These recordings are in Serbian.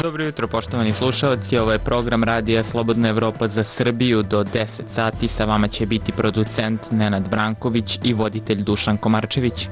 Dobro jutro, poštovani slušalci, ovo je program Radija Slobodna Evropa za Srbiju. Do 10 sati sa vama će biti producent Nenad Branković i voditelj Dušan Komarčević.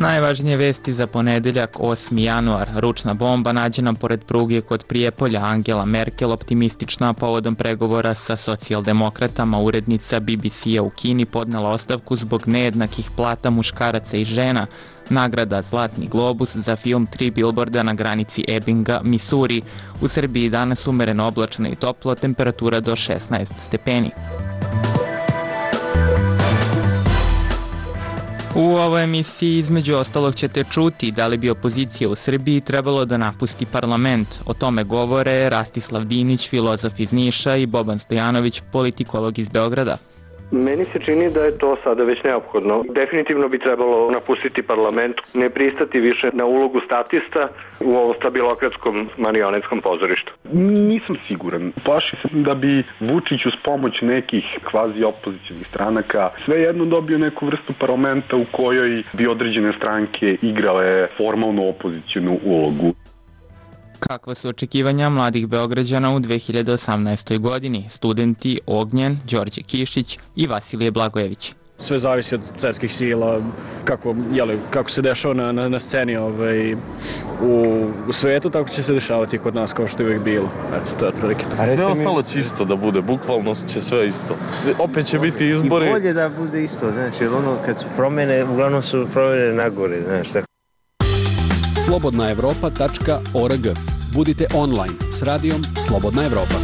Najvažnije vesti za ponedeljak 8. januar. Ručna bomba nađena pored pruge kod Prijepolja. Angela Merkel optimistična povodom pregovora sa socijaldemokratama. Urednica BBC-a u Kini podnela ostavku zbog nejednakih plata muškaraca i žena. Nagrada Zlatni globus za film 3 bilborda na granici Ebbinga, Missouri. U Srbiji danas umereno oblačno i toplo, temperatura do 16 stepeni. U ovoj emisiji između ostalog ćete čuti da li bi opozicija u Srbiji trebalo da napusti parlament. O tome govore Rastislav Dinić, filozof iz Niša, i Boban Stojanović, politikolog iz Beograda. Meni se čini da je to sada već neophodno. Definitivno bi trebalo napustiti parlament, ne pristati više na ulogu statista u ovom stabilokratskom marionetskom pozorištu. Nisam siguran. Plaši se da bi Vučić uz pomoć nekih kvazi opozicionih stranaka svejedno dobio neku vrstu parlamenta u kojoj bi određene stranke igrale formalnu opozicijnu ulogu. Kakva su očekivanja mladih Beograđana u 2018. godini? Studenti Ognjen, Đorđe Kišić i Vasilije Blagojević. Sve zavisi od svetskih sila, kako se dešava na sceni u svetu, tako će se dešavati kod nas kao što je uvijek bilo. Eto, to je otprilike to. Sve ostalo će isto da bude, bukvalno će sve isto. Opet će biti izbori. I bolje da bude isto, znaš, jer ono kad su promene, uglavnom su promene nagore, znaš. slobodnaevropa.org. Budite online s radijom Slobodna Evropa.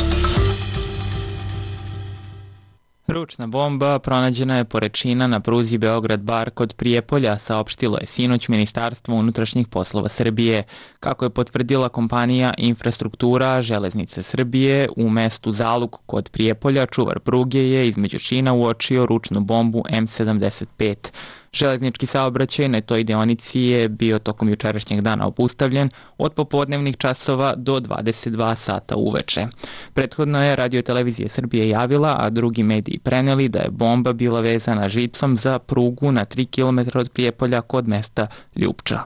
Ručna bomba pronađena je pored šina na pruzi Beograd-Bar kod Prijepolja, saopštilo je sinoć Ministarstvo unutrašnjih poslova Srbije. Kako je potvrdila kompanija Infrastruktura železnice Srbije, u mestu Zaluk kod Prijepolja čuvar pruge je između šina uočio ručnu bombu M75. Železnički saobraćaj na toj deonici je bio tokom jučerašnjeg dana obustavljen od popodnevnih časova do 22 sata uveče. Prethodno je Radio-televizija Srbije javila, a drugi mediji preneli da je bomba bila vezana žicom za prugu na 3 km od Prijepolja kod mesta Ljupča.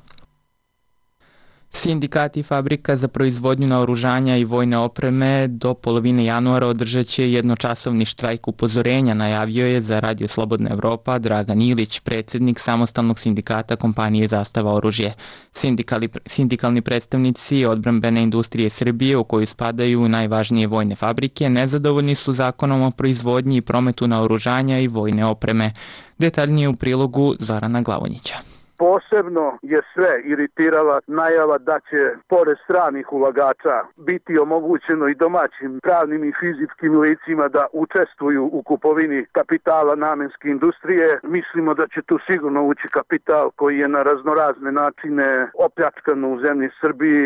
Sindikati fabrika za proizvodnju naoružanja i vojne opreme do polovine januara održat će jednočasovni štrajk upozorenja, najavio je za Radio Slobodna Evropa Dragan Ilić, predsjednik samostalnog sindikata kompanije Zastava oružje. Sindikalni predstavnici odbrambene industrije Srbije, u koju spadaju najvažnije vojne fabrike, nezadovoljni su zakonom o proizvodnji i prometu naoružanja i vojne opreme. Detaljnije u prilogu Zorana Glavonjića. Posebno je sve iritirala najava da će, pored stranih ulagača, biti omogućeno i domaćim pravnim i fizičkim licima da učestvuju u kupovini kapitala namenske industrije. Mislimo da će tu sigurno ući kapital koji je na raznorazne načine opljačkan u zemlji Srbiji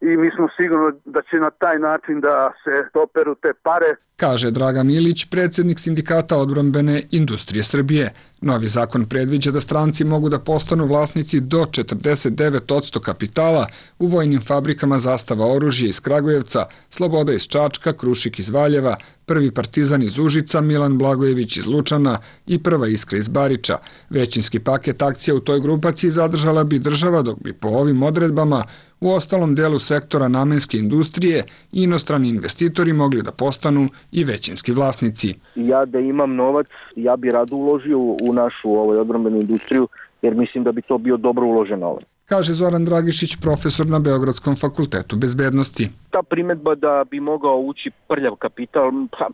i mi smo sigurno da će na taj način da se operu te pare. Kaže Dragan Ilić, predsjednik sindikata odbrambene industrije Srbije. Novi zakon predviđa da stranci mogu da postanu vlasnici do 49% kapitala u vojnim fabrikama Zastava oružje iz Kragujevca, Sloboda iz Čačka, Krušik iz Valjeva, Prvi Partizan iz Užica, Milan Blagojević iz Lučana i Prva Iskra iz Bariča. Većinski paket akcija u toj grupaciji zadržala bi država, dok bi po ovim odredbama u ostalom delu sektora namenske industrije i inostrani investitori mogli da postanu i većinski vlasnici. Ja da imam novac, ja bi rado uložio u našu odbrambenu industriju, jer mislim da bi to bio dobro uložen novac. Kaže Zoran Dragišić, profesor na Beogradskom fakultetu bezbednosti. Ta primedba da bi mogao ući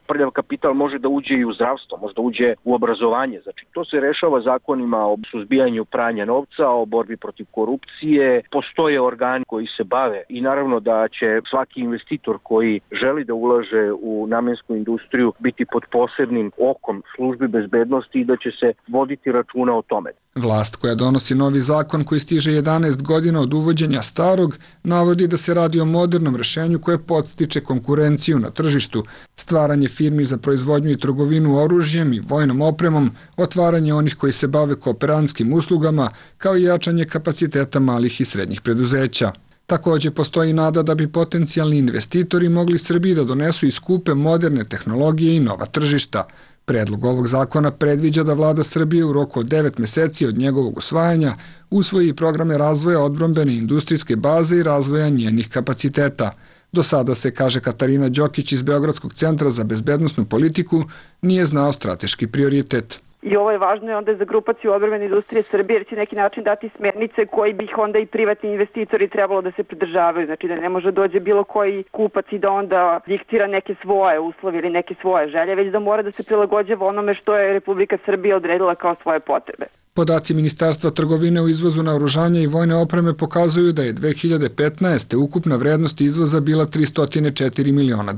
prljav kapital može da uđe i u zdravstvo, može da uđe u obrazovanje. Znači, to se rešava zakonima o suzbijanju pranja novca, o borbi protiv korupcije. Postoje organi koji se bave i naravno da će svaki investitor koji želi da ulaže u namensku industriju biti pod posebnim okom službi bezbednosti i da će se voditi računa o tome. Vlast koja donosi novi zakon koji stiže 11 godina od uvođenja starog, navodi da se radi o modernom rešenju koje podstiče konkurenciju na tržištu, stvaranje firmi za proizvodnju i trgovinu oružjem i vojnom opremom, otvaranje onih koji se bave kooperantskim uslugama, kao i jačanje kapaciteta malih i srednjih preduzeća. Također postoji nada da bi potencijalni investitori mogli Srbiji da donesu i skupe moderne tehnologije i nova tržišta. Predlog ovog zakona predviđa da vlada Srbije u roku od 9 meseci od njegovog usvajanja usvoji programe razvoja odbrambene industrijske baze i razvoja njenih kapaciteta. Do sada se, kaže Katarina Đokić iz Beogradskog centra za bezbednosnu politiku, nije znao strateški prioritet. I ovo je važno onda za grupaciju odbrambene industrije Srbije, jer će neki način dati smernice koji bi ih onda i privatni investitori trebalo da se pridržavaju. Znači da ne može dođe bilo koji kupac i da onda diktira neke svoje uslove ili neke svoje želje, već da mora da se prilagođava onome što je Republika Srbija odredila kao svoje potrebe. Podaci Ministarstva trgovine u izvozu naoružanja i vojne opreme pokazuju da je 2015. ukupna vrednost izvoza bila $304 miliona,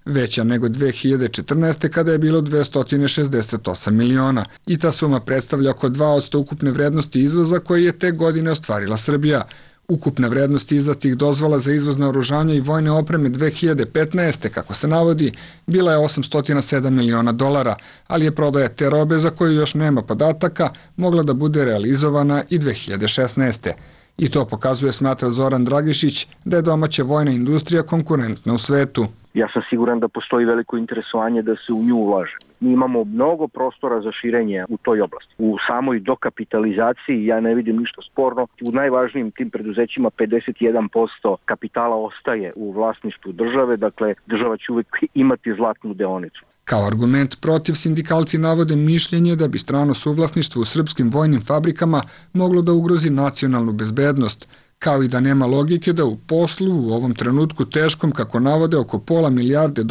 veća nego 2014. kada je bilo 268 miliona. I ta suma predstavlja oko 2% ukupne vrednosti izvoza koje je te godine ostvarila Srbija. Ukupna vrednost izdatih dozvola za izvoz naoružanja i vojne opreme 2015. kako se navodi, bila je $807 miliona, ali je prodaja te robe za koju još nema podataka mogla da bude realizovana i 2016. I to pokazuje, smatra Zoran Dragišić, da je domaća vojna industrija konkurentna u svetu. Ja sam siguran da postoji veliko interesovanje da se u nju ulaže. Mi imamo mnogo prostora za širenje u toj oblasti. U samoj dokapitalizaciji ja ne vidim ništa sporno. U najvažnijim tim preduzećima 51% kapitala ostaje u vlasništvu države, dakle država će uvek imati zlatnu deonicu. Kao argument protiv sindikalci navode mišljenje da bi strano suvlasništvo u srpskim vojnim fabrikama moglo da ugrozi nacionalnu bezbednost, kao i da nema logike da u poslu u ovom trenutku teškom, kako navode, oko $500 milijarde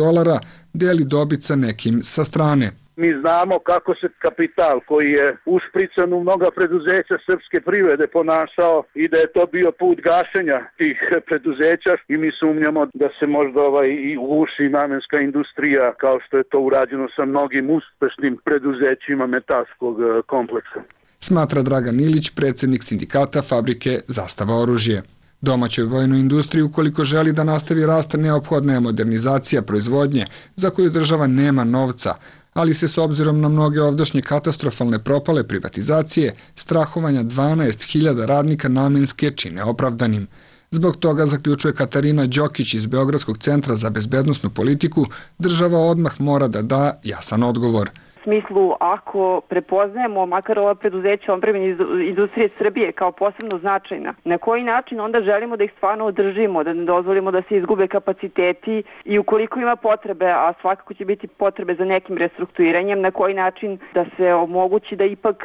deli dobit sa nekim sa strane. Mi znamo kako se kapital koji je ušprican u mnoga preduzeća srpske privrede ponašao i da je to bio put gašenja tih preduzeća i mi sumnjamo da se možda i uguši namenska industrija kao što je to urađeno sa mnogim uspešnim preduzećima metalskog kompleksa. Smatra Dragan Ilić, predsjednik sindikata fabrike Zastava oružje. Domaćoj vojnoj industriji, ukoliko želi da nastavi rast, neophodna je modernizacija proizvodnje, za koju država nema novca, ali se s obzirom na mnoge ovdašnje katastrofalne propale privatizacije, strahovanja 12.000 radnika namenske čine opravdanim. Zbog toga, zaključuje Katarina Đokić iz Beogradskog centra za bezbednosnu politiku, država odmah mora da da jasan odgovor. U smislu, ako prepoznajemo makar ova preduzeća odbrambene industrije Srbije kao posebno značajna, na koji način onda želimo da ih stvarno održimo, da ne dozvolimo da se izgube kapaciteti i ukoliko ima potrebe, a svakako će biti potrebe za nekim restrukturiranjem, na koji način da se omogući da ipak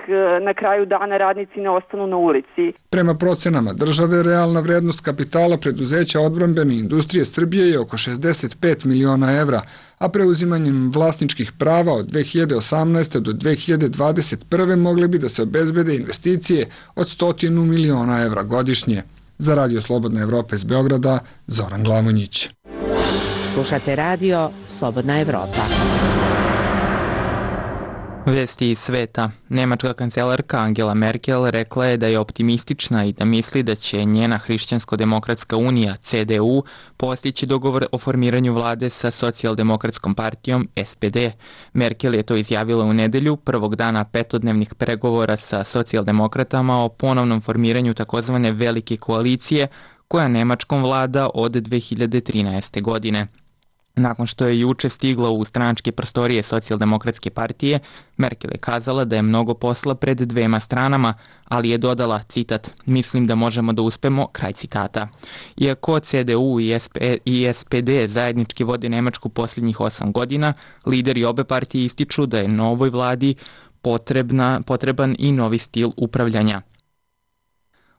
na kraju dana radnici ne ostanu na ulici. Prema procenama države, realna vrednost kapitala preduzeća odbrambene industrije Srbije je oko 65 miliona evra, a preuzimanjem vlasničkih prava od 2018. do 2021. mogle bi da se obezbede investicije od 100 miliona evra godišnje. Za Radio Slobodna Evropa iz Beograda, Zoran Glamonjić. Slušate Radio Slobodna Evropa. Vesti iz sveta. Nemačka kancelarka Angela Merkel rekla je da je optimistična i da misli da će njena Hrišćansko-demokratska unija, CDU, postići dogovor o formiranju vlade sa socijaldemokratskom partijom SPD. Merkel je to izjavila u nedelju, prvog dana petodnevnih pregovora sa socijaldemokratama o ponovnom formiranju takozvane velike koalicije koja Nemačkom vlada od 2013. godine. Nakon što je juče stigla u stranačke prostorije socijaldemokratske partije, Merkel je kazala da je mnogo posla pred dvema stranama, ali je dodala, citat, mislim da možemo da uspemo, kraj citata. Iako CDU i SPD zajednički vode Nemačku posljednjih 8 godina, lideri obe partije ističu da je novoj vladi potreban i novi stil upravljanja.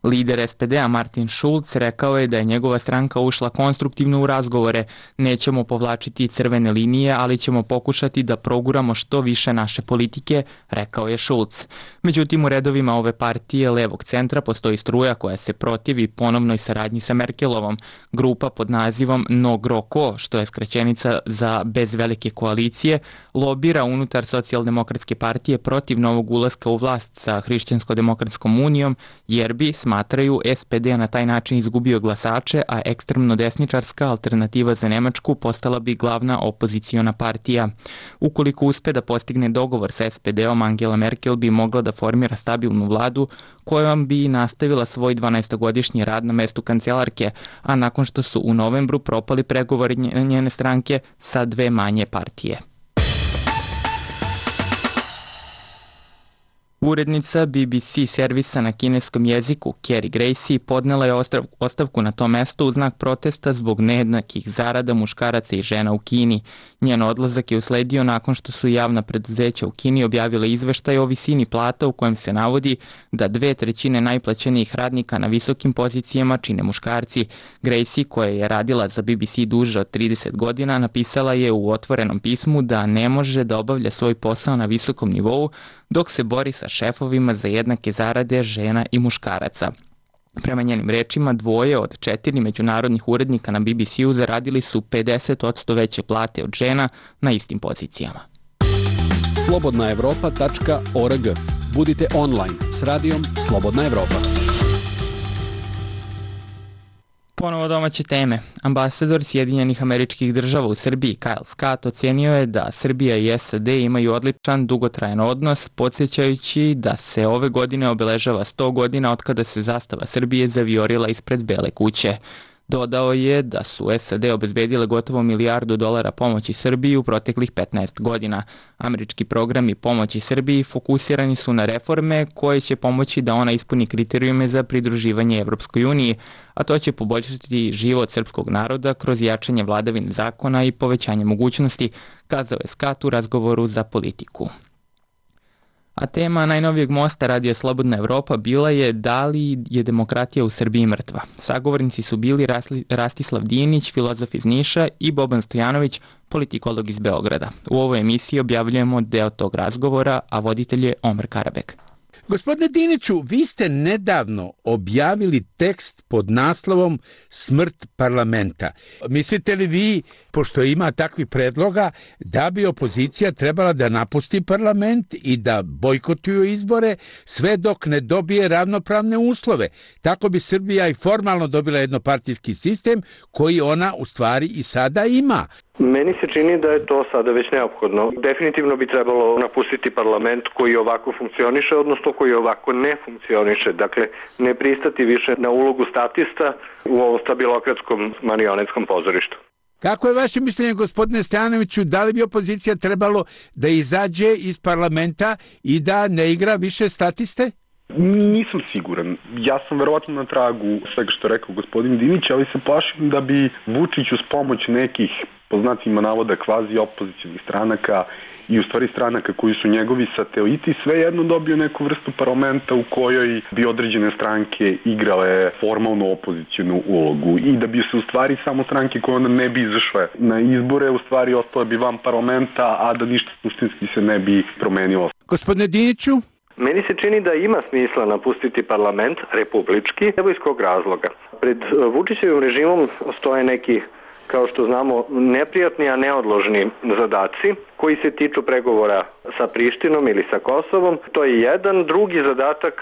Lider SPD-a Martin Schulz rekao je da je njegova stranka ušla konstruktivno u razgovore. Nećemo povlačiti crvene linije, ali ćemo pokušati da proguramo što više naše politike, rekao je Schulz. Međutim, u redovima ove partije levog centra postoji struja koja se protivi ponovnoj saradnji sa Merkelovom. Grupa pod nazivom No Groko, što je skraćenica za bez velike koalicije, lobira unutar socijaldemokratske partije protiv novog ulaska u vlast sa Hrišćansko-demokratskom unijom, jer bi, smatraju, SPD na taj način izgubio glasače, a ekstremno desničarska alternativa za Nemačku postala bi glavna opoziciona partija. Ukoliko uspe da postigne dogovor sa SPD-om, Angela Merkel bi mogla da formira stabilnu vladu kojom bi nastavila svoj 12-godišnji rad na mestu kancelarke, a nakon što su u novembru propali pregovori njene stranke sa dve manje partije. Urednica BBC servisa na kineskom jeziku Carrie Gracie podnela je ostavku na to mesto u znak protesta zbog nejednakih zarada muškaraca i žena u Kini. Njen odlazak je usledio nakon što su javna preduzeća u Kini objavile izveštaj o visini plata u kojem se navodi da 2/3 najplaćenijih radnika na visokim pozicijama čine muškarci. Gracie, koja je radila za BBC duže od 30 godina, napisala je u otvorenom pismu da ne može da obavlja svoj posao na visokom nivou dok se bori sa šefovima za jednake zarade žena i muškaraca. Prema njenim rečima, 2 od 4 međunarodnih urednika na BBC-u zaradili su 50% veće plate od žena na istim pozicijama. slobodnaevropa.org. Budite online s radijom Slobodna Evropa. Ponovo domaće teme. Ambasador Sjedinjenih Američkih Država u Srbiji Kyle Scott ocenio je da Srbija i SAD imaju odličan dugotrajan odnos, podsjećajući da se ove godine obeležava 100 godina od kada se zastava Srbije zavijorila ispred Bele kuće. Dodao je da su SAD obezbedile gotovo $1 milijardu pomoći Srbiji u proteklih 15 godina. Američki programi pomoći Srbiji fokusirani su na reforme koje će pomoći da ona ispuni kriterijume za pridruživanje Evropskoj uniji, a to će poboljšati život srpskog naroda kroz jačanje vladavine zakona i povećanje mogućnosti, kazao je Scott u razgovoru za Politiku. A tema najnovijeg mosta Radija Slobodna Evropa bila je da li je demokratija u Srbiji mrtva. Sagovornici su bili Rastislav Dinić, filozof iz Niša, i Boban Stojanović, politikolog iz Beograda. U ovoj emisiji objavljujemo deo tog razgovora, a voditelj je Omer Karabek. Gospodine Diniću, vi ste nedavno objavili tekst pod naslovom Smrt parlamenta. Mislite li vi, pošto ima takvih predloga, da bi opozicija trebala da napusti parlament i da bojkotuju izbore sve dok ne dobije ravnopravne uslove? Tako bi Srbija i formalno dobila jednopartijski sistem koji ona u stvari i sada ima. Meni se čini da je to sada već neophodno. Definitivno bi trebalo napustiti parlament koji ovako funkcioniše, odnosno koji ovako ne funkcioniše. Dakle, ne pristati više na ulogu statista u ovom stabilokratskom marionetskom pozorištu. Kako je vaše mišljenje, gospodine Stojanoviću, da li bi opozicija trebalo da izađe iz parlamenta i da ne igra više statiste? Nisam siguran. Ja sam verovatno na tragu svega što je rekao gospodin Dinić, ali se plašim da bi Vučić uz pomoć nekih, po znacima navoda, kvazi opozicijnih stranaka i u stvari stranaka koji su njegovi sateliti, svejedno dobio neku vrstu parlamenta u kojoj bi određene stranke igrale formalnu opozicijnu ulogu i da bi se u stvari samo stranke koje onda ne bi izašle na izbore, u stvari ostale bi van parlamenta, a da ništa suštinski se ne bi promenilo. Gospodine Diniću? Meni se čini da ima smisla napustiti parlament republički, evo iz kog razloga. Pred Vučićevim režimom stoje neki, kao što znamo, neprijatni, a neodložni zadaci koji se tiču pregovora sa Prištinom ili sa Kosovom. To je jedan. Drugi zadatak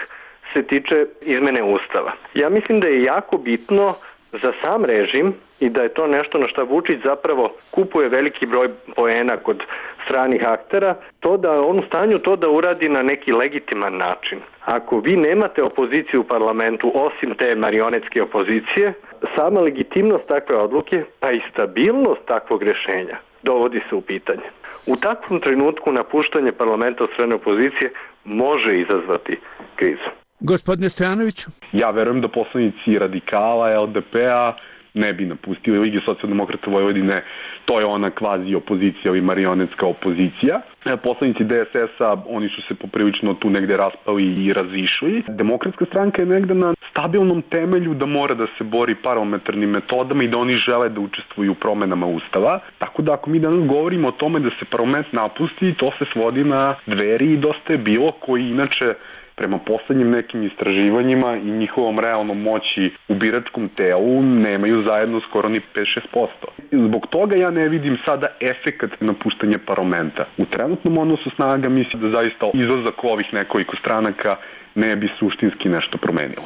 se tiče izmene Ustava. Ja mislim da je jako bitno za sam režim i da je to nešto na što Vučić zapravo kupuje veliki broj poena kod stranih aktera, to da on u stanju to da uradi na neki legitiman način. Ako vi nemate opoziciju u parlamentu osim te marionetske opozicije, sama legitimnost takve odluke pa i stabilnost takvog rješenja dovodi se u pitanje. U takvom trenutku napuštanje parlamenta od strane opozicije može izazvati krizu. Gospodine Stojanoviću? Ja verujem da poslanici Radikala, LDP-a ne bi napustili Lige socijaldemokrata Vojvodine, to je ona kvazi opozicija ili marionetska opozicija. Poslanici DSS-a, oni su se poprilično tu negde raspali i razišli. Demokratska stranka je negde na stabilnom temelju da mora da se bori parlamentarnim metodama i da oni žele da učestvuju u promenama Ustava. Tako da ako mi danas govorimo o tome da se parlament napusti, to se svodi na Dveri i Dosta je bilo, koji inače prema poslednjim nekim istraživanjima i njihovom realnom moći u biračkom telu nemaju zajedno skoro ni 5-6%. Zbog toga ja ne vidim sada efekat napuštanja parlamenta. U trenutnom odnosu snaga mislim da zaista izlazak ovih nekoliko stranaka ne bi suštinski nešto promenilo.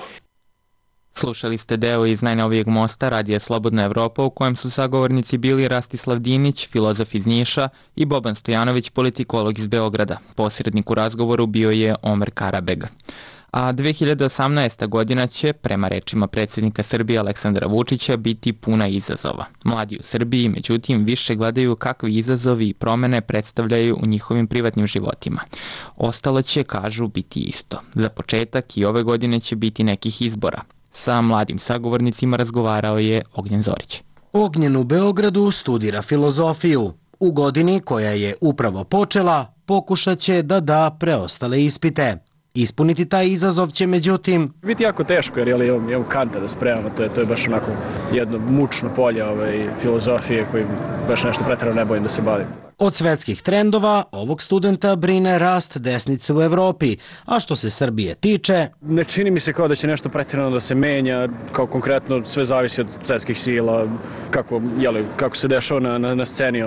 Slušali ste deo iz najnovijeg mosta Radija Slobodna Evropa u kojem su sagovornici bili Rastislav Dinić, filozof iz Niša, i Boban Stojanović, politikolog iz Beograda. Posrednik u razgovoru bio je Omer Karabeg. A 2018. godina će, prema rečima predsjednika Srbije Aleksandra Vučića, biti puna izazova. Mladi u Srbiji, međutim, više gledaju kakvi izazovi i promene predstavljaju u njihovim privatnim životima. Ostalo će, kažu, biti isto. Za početak i ove godine će biti nekih izbora. Sa mladim sagovornicima razgovarao je Ognjen Zorić. Ognjen u Beogradu studira filozofiju. U godini koja je upravo počela, pokušat će da da preostale ispite. Ispuniti taj izazov će, međutim, biti jako teško jer imam Kanta da spremamo, to je baš onako jedno mučno polje filozofije koji baš nešto pretjerano ne bojim da se bavim. Od svetskih trendova ovog studenta brine rast desnice u Evropi, a što se Srbije tiče... Ne čini mi se kao da će nešto pretjerano da se menja, kao konkretno sve zavisi od svetskih sila, kako se dešava na sceni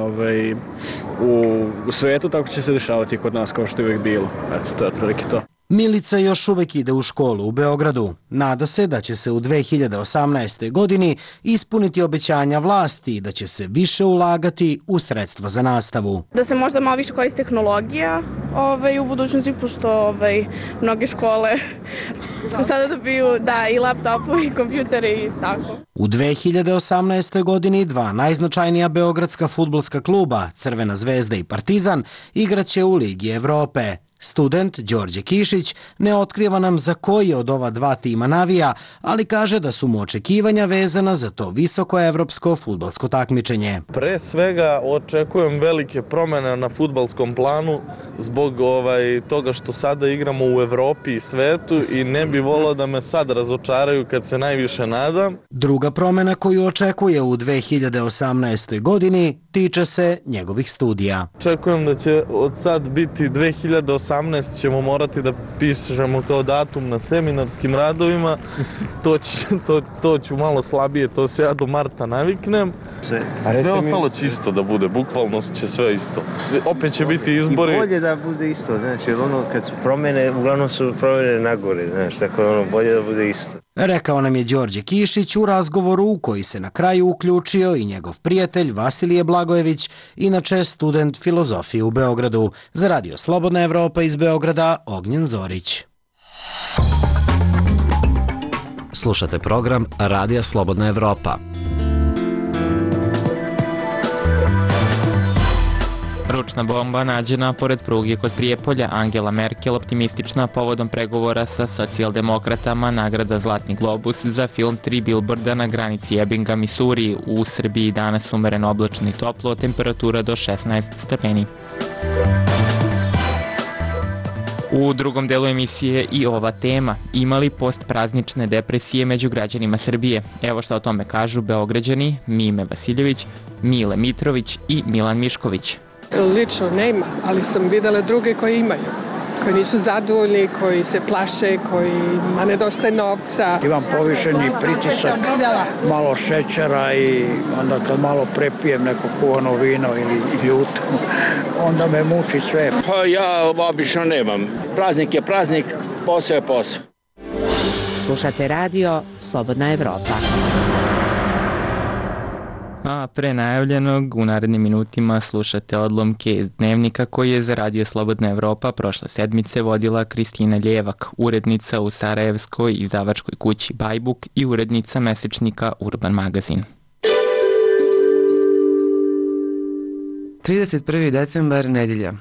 u svetu, tako će se dešavati kod nas kao što je uvijek bilo. Eto, to je otprilike to. Milica još uvek ide u školu u Beogradu. Nada se da će se u 2018. godini ispuniti obećanja vlasti i da će se više ulagati u sredstva za nastavu. Da se možda malo više koristi tehnologija u budućnosti, pošto mnoge škole sada dobiju i laptopu i kompjutere i tako. U 2018. godini dva najznačajnija beogradska fudbalska kluba, Crvena zvezda i Partizan, igraće u Ligi Evrope. Student Đorđe Kišić ne otkriva nam za koji od ova dva tima navija, ali kaže da su mu očekivanja vezana za to visoko evropsko fudbalsko takmičenje. Pre svega očekujem velike promjene na fudbalskom planu zbog toga što sada igramo u Evropi i svetu i ne bi volio da me sad razočaraju kad se najviše nadam. Druga promjena koju očekuje u 2018. godini tiče se njegovih studija. Očekujem da će od sad biti 2018. ćemo morati da pišemo kao datum na seminarskim radovima. To ću malo slabije, to se ja do marta naviknem. Sve ostalo će isto da bude, bukvalno će sve isto. Opet će biti izbori. I bolje da bude isto, znači, kad su promjene, uglavnom su promjene nagore, znači, tako bolje da bude isto. Rekao nam je Đorđe Kišić u razgovoru u koji se na kraju uključio i njegov prijatelj Vasilije Blagojević, inače student filozofije u Beogradu. Za Radio Slobodna Evropa iz Beograda, Ognjen Zorić. Slušate program Radija Slobodna Evropa. Ručna bomba nađena pored pruge kod Prijepolja. Angela Merkel optimistična povodom pregovora sa socijaldemokratama. Nagrada Zlatni globus za film Tri bilborda na granici Ebbinga, Missouri. U Srbiji danas umereno oblačno i toplo, temperatura do 16 stepeni. U drugom delu emisije i ova tema. Imali postpraznične depresije među građanima Srbije? Evo šta o tome kažu Beograđani Mime Vasiljević, Mile Mitrović i Milan Mišković. Lično nema, ali sam videla druge koji imaju, koji nisu zadovoljni, koji se plaše, kojima nedostaje novca. Imam povišeni pritisak, malo šećera i onda kad malo prepijem neko kuvano vino ili ljuto, onda me muči sve. Pa ja obično nemam. Praznik je praznik, posao je posao. Slušate radio Slobodna Evropa. A pre najavljenog u narednim minutima slušate odlomke iz dnevnika koji je za Radio Slobodna Evropa prošle sedmice vodila Kristina Ljevak, urednica u sarajevskoj izdavačkoj kući Bajbuk i urednica mesečnika Urban magazin. 31. decembar, nedjelja.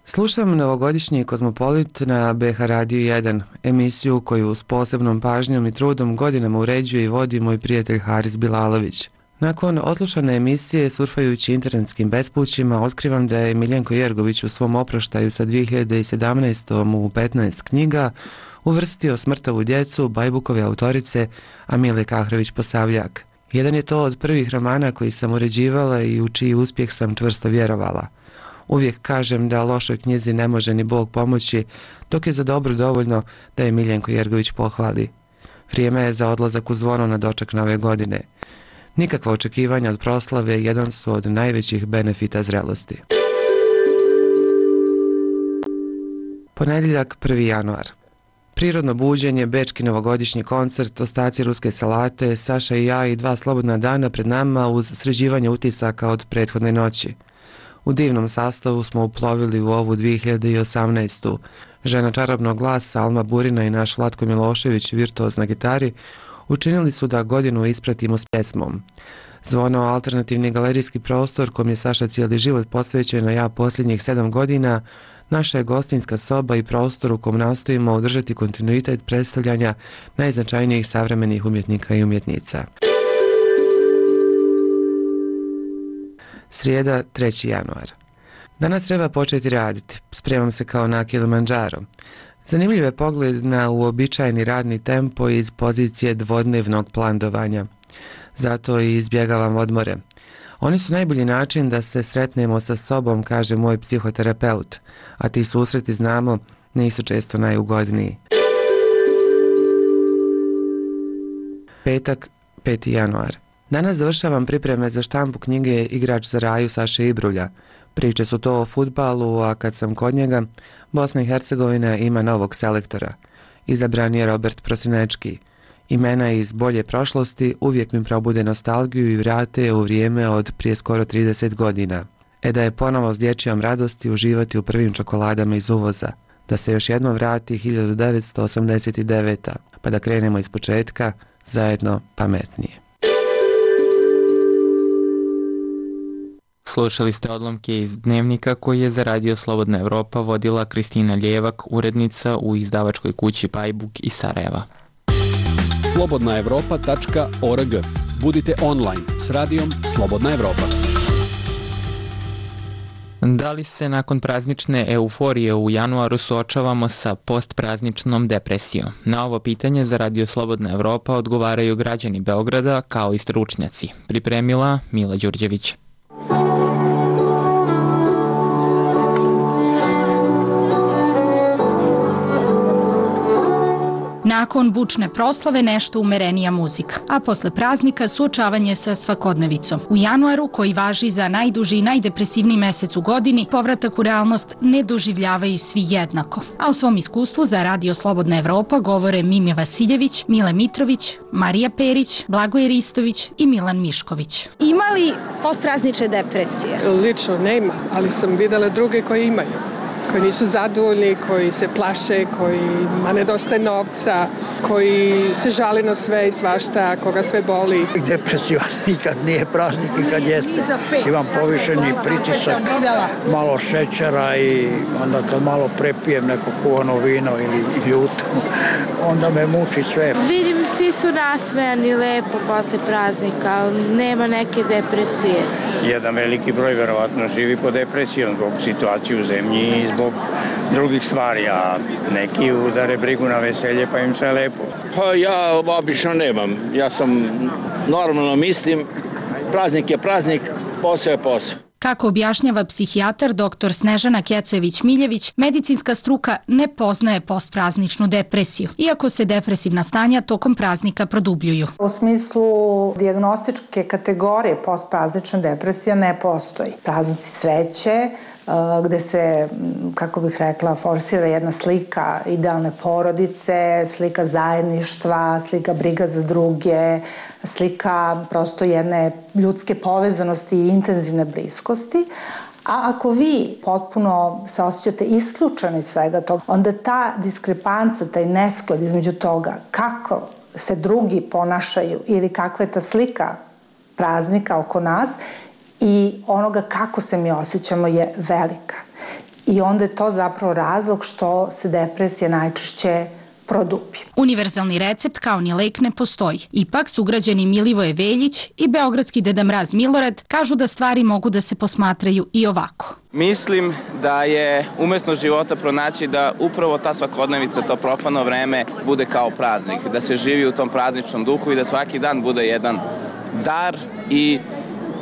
Slušam novogodišnji Kozmopolit na BH Radio 1, emisiju koju s posebnom pažnjom i trudom godinama uređuje i vodi moj prijatelj Haris Bilalović. Nakon odslušane emisije, surfajući internetskim bespućima, otkrivam da je Miljenko Jergović u svom oproštaju sa 2017. u 15 knjiga uvrstio Smrtovu djecu Bajbukove autorice Amile Kahrović-Posavljak. Jedan je to od prvih romana koji sam uređivala i u čiji uspjeh sam čvrsto vjerovala. Uvijek kažem da lošoj knjizi ne može ni Bog pomoći, dok je za dobro dovoljno da je Miljenko Jergović pohvali. Vrijeme je za odlazak u Zvono na doček nove godine. Nikakva očekivanja od proslave jedan su od najvećih benefita zrelosti. Ponedjeljak, 1. januar. Prirodno buđenje, bečki novogodišnji koncert, ostaci ruske salate, Saša i ja i 2 slobodna dana pred nama uz sređivanje utisaka od prethodne noći. U divnom sastavu smo uplovili u ovu 2018. žena čarobnog glasa Alma Burina i naš Vlatko Milošević, virtuoz na gitari, učinili su da godinu ispratimo s pjesmom. Zvono alternativni galerijski prostor kom je Saša cijeli život posvećen, a ja posljednjih 7 godina, naša je gostinska soba i prostor u kom nastojimo održati kontinuitet predstavljanja najznačajnijih savremenih umjetnika i umjetnica. Srijeda, 3. januar. Danas treba početi raditi. Spremam se kao na Kilimanjaro. Zanimljiv je pogled na uobičajeni radni tempo iz pozicije dvodnevnog plandovanja. Zato i izbjegavam odmore. Oni su najbolji način da se sretnemo sa sobom, kaže moj psihoterapeut, a ti susreti, znamo, nisu često najugodniji. Petak, 5. januar. Danas završavam pripreme za štampu knjige Igrač za raju Saše Ibrulja. Priče su to o fudbalu, a kad sam kod njega, Bosna i Hercegovina ima novog selektora. Izabran je Robert Prosinečki. Imena iz bolje prošlosti uvijek mi probude nostalgiju i vrate u vrijeme od prije skoro 30 godina. Da je ponovo s dječjom radosti uživati u prvim čokoladama iz uvoza. Da se još jednom vrati 1989. Pa da krenemo iz početka, zajedno pametnije. Slušali ste odlomke iz dnevnika koji je za Radio Slobodna Evropa vodila Kristina Ljevak, urednica u izdavačkoj kući Pajbuk iz Sarajeva. slobodnaevropa.org. Budite online s radijom Slobodna Evropa. Da li se nakon praznične euforije u januaru suočavamo sa postprazničnom depresijom? Na ovo pitanje za Radio Slobodna Evropa odgovaraju građani Beograda kao i stručnjaci. Pripremila Mila Đurđević. Nakon bučne proslave nešto umerenija muzika, a posle praznika suočavanje sa svakodnevicom. U januaru, koji važi za najduži i najdepresivniji mesec u godini, povratak u realnost ne doživljavaju svi jednako. A o svom iskustvu za Radio Slobodna Evropa govore Mimja Vasiljević, Mile Mitrović, Marija Perić, Blagoje Ristović i Milan Mišković. Ima li postpraznične depresije? Lično nema, ali sam videla druge koji imaju. Koji nisu zadovoljni, koji se plaše, kojima nedostaje novca, koji se žale na sve i svašta, koga sve boli. Depresija nikad nije praznik i kad jeste. Imam povišeni pritisak, malo šećera i onda kad malo prepijem neko kuvano vino ili ljuto, onda me muči sve. Vidim, svi su nasmejani lepo posle praznika, nema neke depresije. Jedan veliki broj verovatno živi pod depresijom zbog situacije u zemlji i zbog drugih stvari, a neki udare brigu na veselje pa im sve lepo. Pa ja obično nemam. Ja sam normalno mislim, praznik je praznik, posao je posao. Kako objašnjava psihijatar dr. Snežana Kecojević-Miljević, medicinska struka ne poznaje postprazničnu depresiju, iako se depresivna stanja tokom praznika produbljuju. U smislu dijagnostičke kategorije postpraznična depresija ne postoji. Praznici sreće, gde se, kako bih rekla, forsira jedna slika idealne porodice, slika zajedništva, slika briga za druge, slika prosto jedne ljudske povezanosti i intenzivne bliskosti. A ako vi potpuno se osjećate isključeni iz svega toga, onda ta diskrepanca, taj nesklad između toga kako se drugi ponašaju ili kakva je ta slika praznika oko nas i onoga kako se mi osjećamo je velika. I onda je to zapravo razlog što se depresija najčešće produbi. Univerzalni recept kao ni lek ne postoji. Ipak sugrađani Milivoje Veljić i beogradski Deda Mraz Milorad kažu da stvari mogu da se posmatraju i ovako. Mislim da je umjetnost života pronaći da upravo ta svakodnevica, to profano vreme bude kao praznik, da se živi u tom prazničnom duhu i da svaki dan bude jedan dar i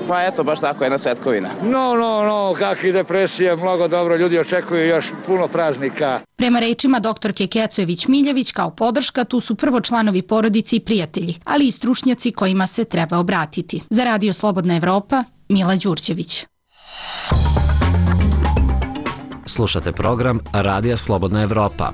pa eto, baš tako jedna svetkovina. No, kakvi depresije, mnogo dobro, ljudi očekuju još puno praznika. Prema rečima doktorke Kecojević-Miljević, kao podrška tu su prvo članovi porodice i prijatelji, ali i stručnjaci kojima se treba obratiti. Za Radio Slobodna Evropa, Mila Đurđević. Slušate program Radija Slobodna Evropa.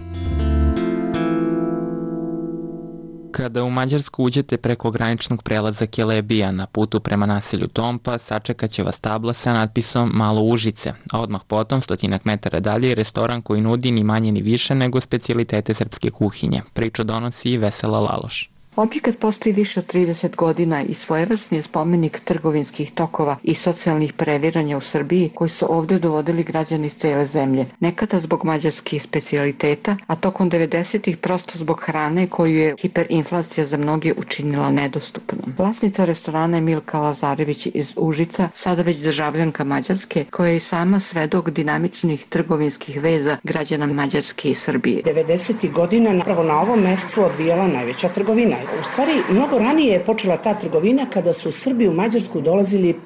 Kada u Mađarsku uđete preko graničnog prelaza Kelebija na putu prema naselju Tompa, sačekat će vas tabla sa natpisom Malo Užice, a odmah potom, 100 metara dalje, je restoran koji nudi ni manje ni više nego specijalitete srpske kuhinje. Priču donosi Vesela Laloš. Objekat postoji više od 30 godina i svojevrsni je spomenik trgovinskih tokova i socijalnih previranja u Srbiji koji su ovdje dovodili građani iz cele zemlje. Nekada zbog mađarskih specijaliteta, a tokom 90-ih prosto zbog hrane koju je hiperinflacija za mnoge učinila nedostupnom. Vlasnica restorana je Milka Lazarević iz Užica, sada već državljanka Mađarske, koja je i sama svedok dinamičnih trgovinskih veza građana Mađarske i Srbije. 90-ih godina napravo na ovom mjestu odvijala najveća trgovina. U stvari, mnogo ranije je počela ta trgovina kada su Srbi u Mađarsku dolazili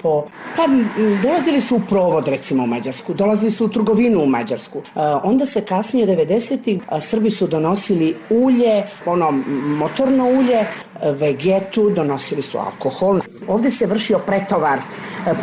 dolazili su u provod, recimo, u Mađarsku, dolazili su u trgovinu u Mađarsku. Onda se kasnije, 90-ih, Srbi su donosili ulje, motorno ulje, vegetu, donosili su alkohol. Ovdje se vršio pretovar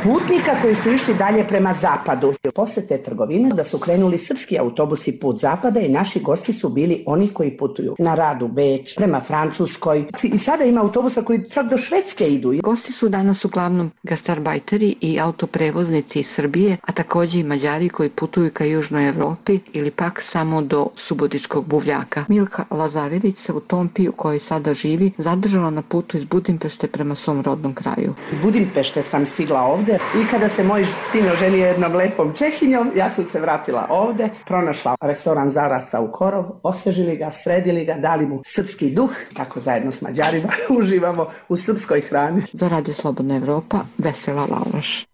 putnika koji su išli dalje prema zapadu. Posle te trgovine da su krenuli srpski autobusi put zapada i naši gosti su bili oni koji putuju na rad u Beč, prema Francuskoj. I sada ima autobusa koji čak do Švedske idu. Gosti su danas uglavnom gastarbajteri i autoprevoznici iz Srbije, a također i Mađari koji putuju ka Južnoj Evropi ili pak samo do Subotičkog buvljaka. Milka Lazarević se u Tompi, u kojoj sada živi, zadržala na putu iz Budimpešte prema svom rodnom kraju. Iz Budimpešte sam stigla ovdje i kada se moj sin oženio jednom lepom Čehinjom, ja sam se vratila ovdje, pronašla restoran Zarasta u Korov, osvežili ga, sredili ga, dali mu srpski duh, tako zajedno s Mađarima uživamo u srpskoj hrani. Za Radio Slobodna Evropa, Vesela Laloš.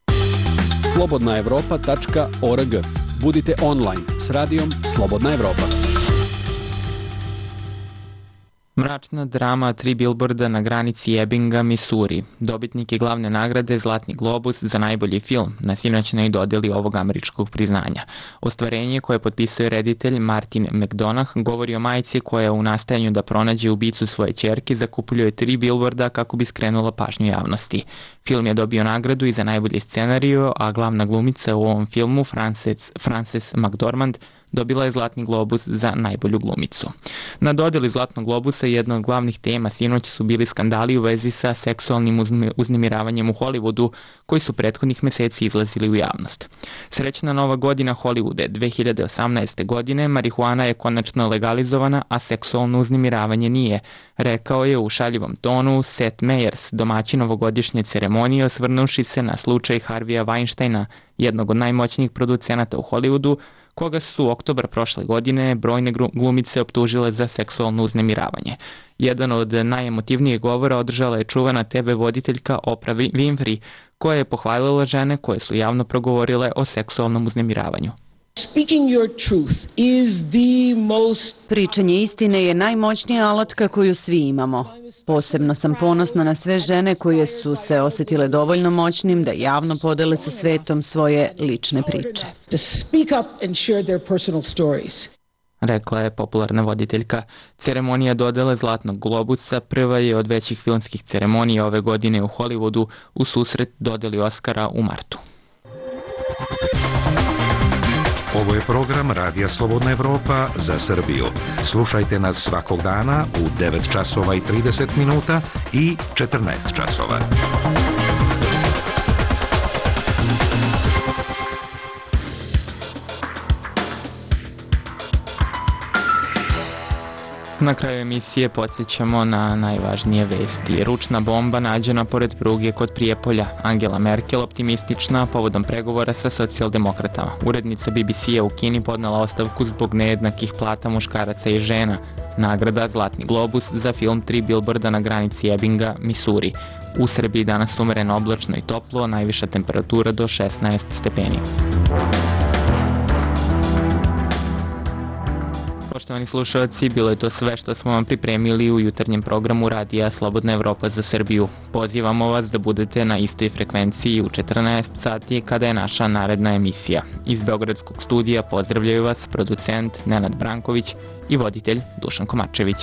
slobodnaevropa.org. Budite online s radijom Slobodna Evropa. Mračna drama 3 bilborda na granici Ebbinga, Missouri. Dobitnik je glavne nagrade Zlatni globus za najbolji film na sinoćnoj dodeli ovog američkog priznanja. Ostvarenje koje potpisuje reditelj Martin McDonagh govori o majci koja u nastajanju da pronađe ubicu svoje ćerke zakupljuje 3 bilborda kako bi skrenula pažnju javnosti. Film je dobio nagradu i za najbolji scenariju, a glavna glumica u ovom filmu, Frances McDormand, dobila je Zlatni globus za najbolju glumicu. Na dodeli Zlatnog globusa jedna od glavnih tema sinoć su bili skandali u vezi sa seksualnim uznemiravanjem u Hollywoodu koji su prethodnih meseci izlazili u javnost. Srećna nova godina Hollywoode 2018. godine, marihuana je konačno legalizovana, a seksualno uznemiravanje nije, rekao je u šaljivom tonu Seth Meyers, domaćin ovogodišnje ceremonije, osvrnuši se na slučaj Harvija Weinsteina, jednog od najmoćnijih producenata u Hollywoodu, koga su oktobra prošle godine brojne glumice optužile za seksualno uznemiravanje. Jedan od najemotivnijih govora održala je čuvena TV voditeljka Oprah Winfrey, koja je pohvalila žene koje su javno progovorile o seksualnom uznemiravanju. Pričanje istine je najmoćnija alatka koju svi imamo. Posebno sam ponosna na sve žene koje su se osjetile dovoljno moćnim da javno podele sa svetom svoje lične priče. Rekla je popularna voditeljka. Ceremonija dodele Zlatnog globusa prva je od većih filmskih ceremonija ove godine u Hollywoodu u susret dodeli Oscara u martu. Ovo je program Radija Slobodna Evropa za Srbiju. Slušajte nas svakog dana u 9 časova i 30 minuta i 14 časova. Na kraju emisije podsjećamo na najvažnije vesti. Ručna bomba nađena pored pruge kod Prijepolja. Angela Merkel optimistična povodom pregovora sa socijaldemokratama. Urednica BBC-a u Kini podnela ostavku zbog nejednakih plata muškaraca i žena. Nagrada Zlatni globus za film 3 bilborda na granici Ebbinga, Missouri. U Srbiji danas umereno oblačno i toplo, najviša temperatura do 16 stepeni. Poštovani slušalci, bilo je to sve što smo vam pripremili u jutarnjem programu Radija Slobodna Evropa za Srbiju. Pozivamo vas da budete na istoj frekvenciji u 14 sati kada je naša naredna emisija. Iz Beogradskog studija pozdravljaju vas producent Nenad Branković i voditelj Dušan Komačević.